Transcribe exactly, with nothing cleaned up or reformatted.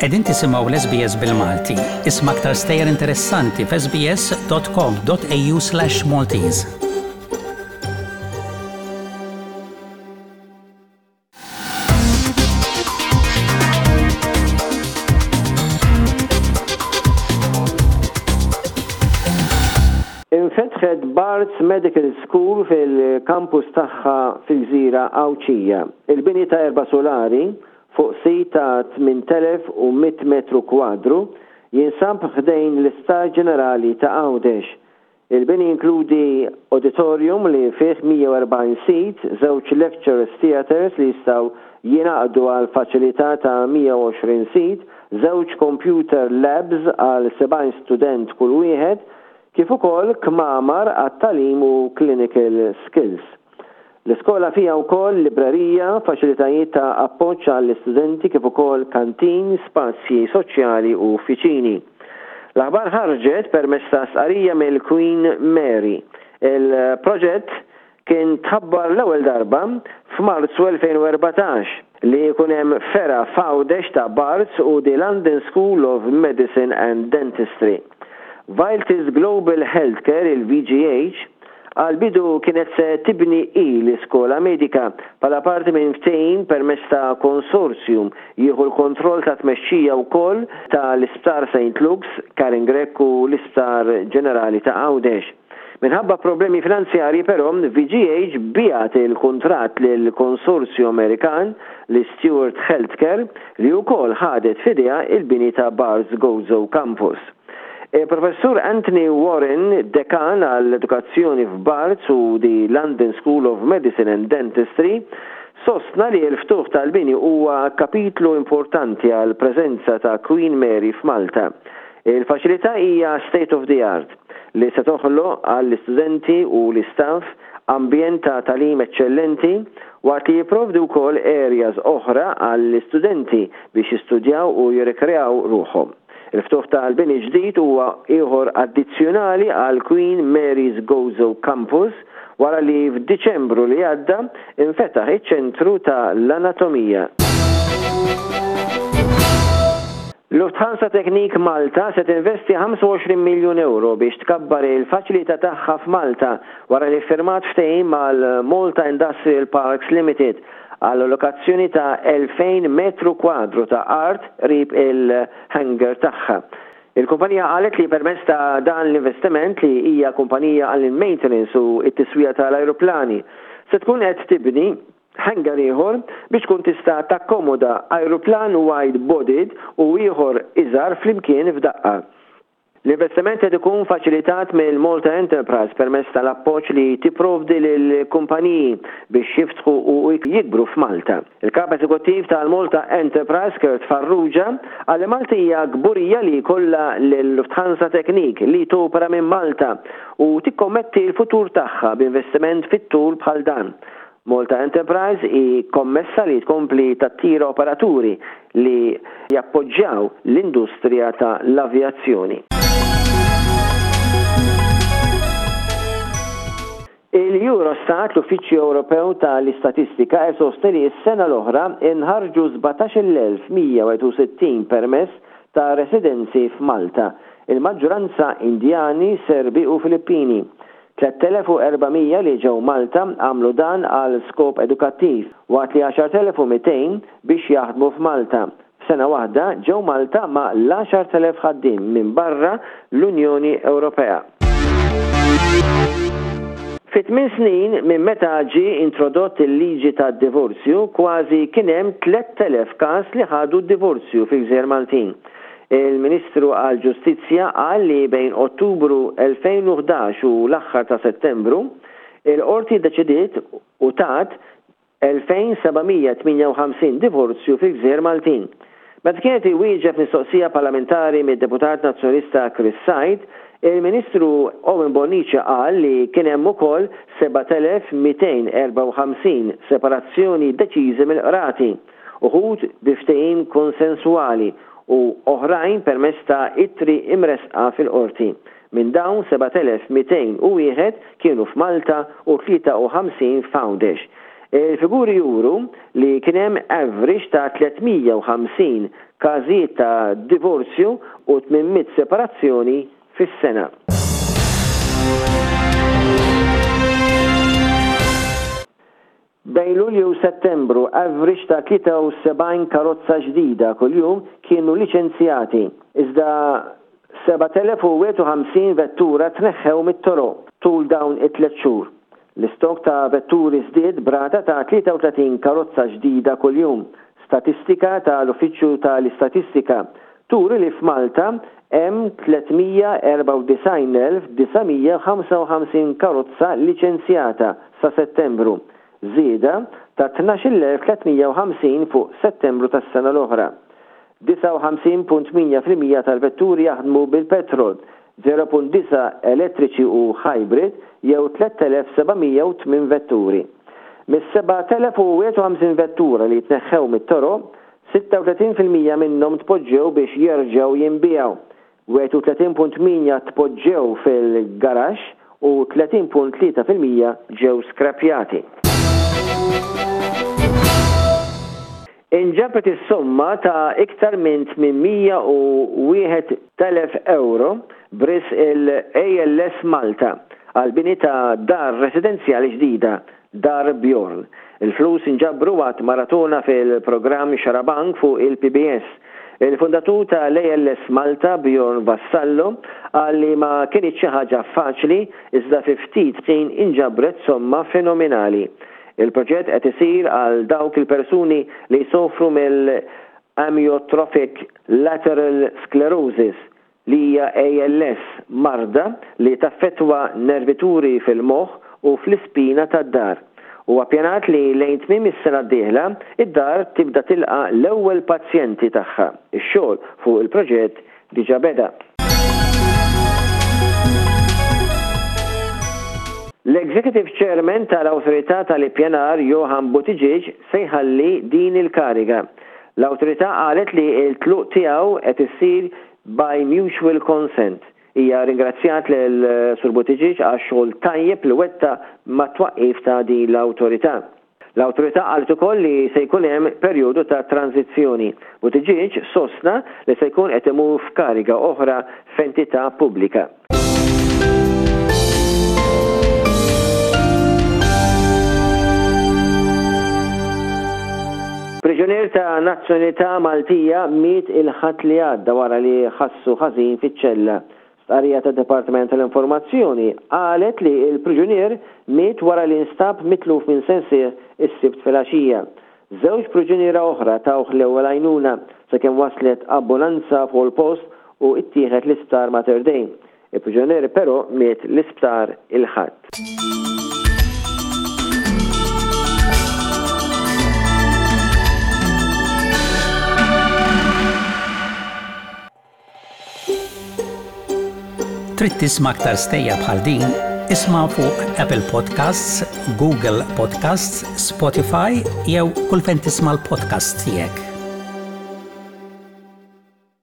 Qegħdin tisimgħu l-S B S bil-Malti. Isma' aktar stejjer interessanti f'S B S dot com dot A U slash Maltese. Infetħet Barts Medical School fil-kampus tagħha fil-Gżira Għawdxija. Il-bini ta' erba' solari fuq sit ta' tmien elef u mitt metru kwadru jinsab ħdejn l-Isptar Ġenerali ta' Għawdex. Il-bini inkludi auditorium li fih mija u erbgħin seat, żewġ lecture theaters li jistgħu jingħaqdu għal faċilità ta' mija u għoxrin seat, żewġ computer labs għal sebgħin student kull wieħed, kif ukoll kmamar għat-tagħlim u clinical skills. L-iskola fija wkoll librerija, faċilitajiet ta' appoġġ għall-istudenti kif ukoll kantin, spazji soċjali u uffiċini. L-aħbar ħarġet permezz ta' stqarrija mill-Queen Mary. Il-proġett kien tħabbar l-ewwel darba f'Marzu elfejn u erbatax li jkun hemm fergħa f'Għawdex ta' Barts u the London School of Medicine and Dentistry. Vialtis Global Healthcare, il-V G H, għal-bidu kienet se tibni i l-iskola medika bħala parti minn ftehim permezz ta' konsorzjum jieħu l-kontroll ta' tmexxija wkoll ta' l-Isptar Saint Luke's, Karin Grech u l-Isptar Ġenerali ta' Għawdex. Minħabba problemi finanzjarji però, V G H biegħet il-kontrat lil konsorzju Amerikan li Steward Healthcare li wkoll ħadet f'idejha il-bini ta' Barts Gozo Campus. Professur Anthony Warren, dekan għall-edukazzjoni f'Barts u the London School of Medicine and Dentistry, sostna li l-ftuħ tal-bini huwa kapitlu importanti għal preżenza ta' Queen Mary f'Malta. Il-faċilità hija state of the art li se toħloq għall-istudenti u l-istaff ambjent ta' tagħlim eċċellenti waqt li jipprovdi wkoll areas oħra għall-istudenti biex jistudjaw u jirrikreaw ruħhom. Il-ftuħ tal-bini ġdid huwa ieħor addizzjonali għal Queen Mary's Gozo Campus wara li f'Diċembru li għadda infetaħ iċ-ċentru ta' l-anatomija. Lufthansa Technik Malta se tinvesti ħamsa u għoxrin miljun euro biex tkabbar il-faċilità tagħha f'Malta wara li firmat ftehim mal-Malta Industrial Parks Limited għal allokazzjoni ta' elfejn metru kwadru ta' art qrib il-hangar tagħha. Il-kumpanija qalet li permezz ta' dan l-investiment, li hija kumpanija għall maintenance u it-tiswija tal-ajruplani, se tkun qed tibni hangar ieħor biex tkun tista' takkomoda ajruplan wide-bodied u ieħor iżgħar flimkien f'daqqa. L-investiment qed ikun faċilitat mill-Malta Enterprise permezz tal-appoġġ li tipprovdi lill-kumpaniji biex jiftħu u jikbru f'Malta. Il-kap eżekuttiv tal-Malta Enterprise, Kurt Farrugia, qal li Malta hija kburija li jkollha l-Lufthansa Technik li topera minn Malta u tikkommetti l-futur tagħha b'investiment fit-tul bħal dan. Malta Enterprise hi kommessa li tkompli tattira operaturi li jappoġġjaw l-industrija ta' l-avjazzjoni. Il-Eurostat, l-Uffiċċju Ewropew tal-Istatistika, isostni li s-sena l-oħra inħarġu sbatax-il elf mija u wieħed u sittin permess ta' residenzi f'Malta, il-maġġoranza Indjani, Serbi u Filippini. tliet elef u erba' mija li ġew Malta għamlu dan għal skop edukattiv, waqt li għaxart elef u mitejn biex jaħdmu f'Malta. F'sena waħda ġew Malta mal-għaxart elef ħaddiem minn barra l-Unjoni Ewropea. Fi tmien snin minn meta ġie introdott il-liġi ta' divorzju, kważi kien hemm tlett elef każ li ħadu divorzju fil-Gżejjer Maltin. Il-Ministru għal-Ġustizzja qal li bejn Ottubru elfejn u ħdax u l-aħħar ta' Settembru, il-qorti deċidiet u tat elfejn seba' mija tmienja u ħamsin divorzju fil-Gżejjer Maltin. Meta kienet iwieġeb mistoqsija parlamentari mid-deputat nazzjonalista Chris Said, il-Ministru Owen Bonnici qal li kien hemm ukoll seba' elef mitejn u erbgħa u ħamsin separazzjoni deċiżi mill-qrati, uħud bi ftehim konsensuali u oħrajn permezz ta' ittri imresqa fil-qorti. Minn dawn, seba' elef mitejn u wieħed kienu f'Malta u tlieta u ħamsin f'Għawdex. Il-figuri juru li kien hemm average ta' tliet mija u ħamsin każijiet ta' divorzju u tmien mitt separazzjoni fis-sena. Bejn Lulju u Settembru, average ta' tlieta u sebgħin karozza ġdida kuljum kienu liċenzjati, iżda sebat elef u wieħed u ħamsin vettura tneħħew mit-toroq tul dawn it-tliet xhur. L-istok ta' vetturi żdied b'rata ta' tlieta u tletin karozza ġdida kuljum. Statistika tal-Uffiċċju tal-Istatistika turi li f'Malta hemm tliet mija u erbgħa u disgħin elf disa' mija u ħamsa u ħamsin karozza liċenzjata sa Settembru, żieda ta' tnax-il elf tliet mija u ħamsin fuq Settembru tas-sena l-oħra. disgħa u ħamsin punt tmienja fil-mija tal-vetturi jaħdmu bil-petrol, żero punt disgħa elettriċi u hybrid jew tliet elef seba' mija u tmien vetturi. Mis-sebat elef u wieħed u ħamsin vettura li tneħħew mit-toroq, sitta u tletin fil-mija minnhom tpoġġew biex jerġgħu jinbiegħu. wieħed u tletin punt tmienja tpoġġew fil-garaxx u tletin punt tlieta fil-mija ġew skrapjati. Inġabret is-somma ta' iktar minn tmien mija u wieħed elef euro b'risq il-A L S Malta għal bini ta' dar residenzjali ġdida, Dar Bjorn. Il-flus inġabru waqt maratona fil-programm Xarabank fuq il-P B S. Il-fundatur tal-A L S Malta, Bjorn Vassallo, qal li ma kienx xi ħaġa faċli, iżda fi ftit ħin inġabret somma fenomenali. Il-proġett qed isir għal dawk il-persuni li jsofru mill-amyotrophic lateral sclerosis, li hija A L S, marda li taffetwa nervituri fil-moħħ u fl-ispina tad-dahar. U appjanat li lejn tmiem is-sena d-dieħla id-dar tibda tilqa l-ewwel pazjenti tagħha. Ix-xogħol fuq il-proġett diġà beda. L-Executive Chairman tal-Awtorità tal-Ippjanar, Johan Buttigieg, se jħalli din il-kariga. L-awtorità qalet li l-tluq tiegħu qed issir by mutual consent. Hija ringrazzjat lil Sur Buttigieg għax xogħol tajjeb li wettaq mat-twaqqif ta' din l-awtorità. L-awtorità qalet ukoll li se jkun hemm perjodu ta' tranzizzjoni. Buttigieg sostna li se jkun qed imur f'kariga oħra f'entità pubblika. Priġunier ta' nazzjonalità Maltija miet il-Ħadd li għadda wara li ħassu ħażin fiċ-ċella. Stqarrija ta' Dipartiment tal-Informazzjoni qalet li il-priġunier miet wara li instab mitluf minn sensih is-Sibt filgħaxija. Żewġ priġuniera oħra tawh l-ewwel għajnuna sakemm waslet ambulanza fuq il-post u ittieħed l-isptar Mater Dei. Il-priġunier però miet l-isptar il-Ħadd. Trid tisma' aktar stejjer bħal din? Isma' fuq Apple Podcasts, Google Podcasts, Spotify jew kull fejn tisma' l-podcast tiegħek.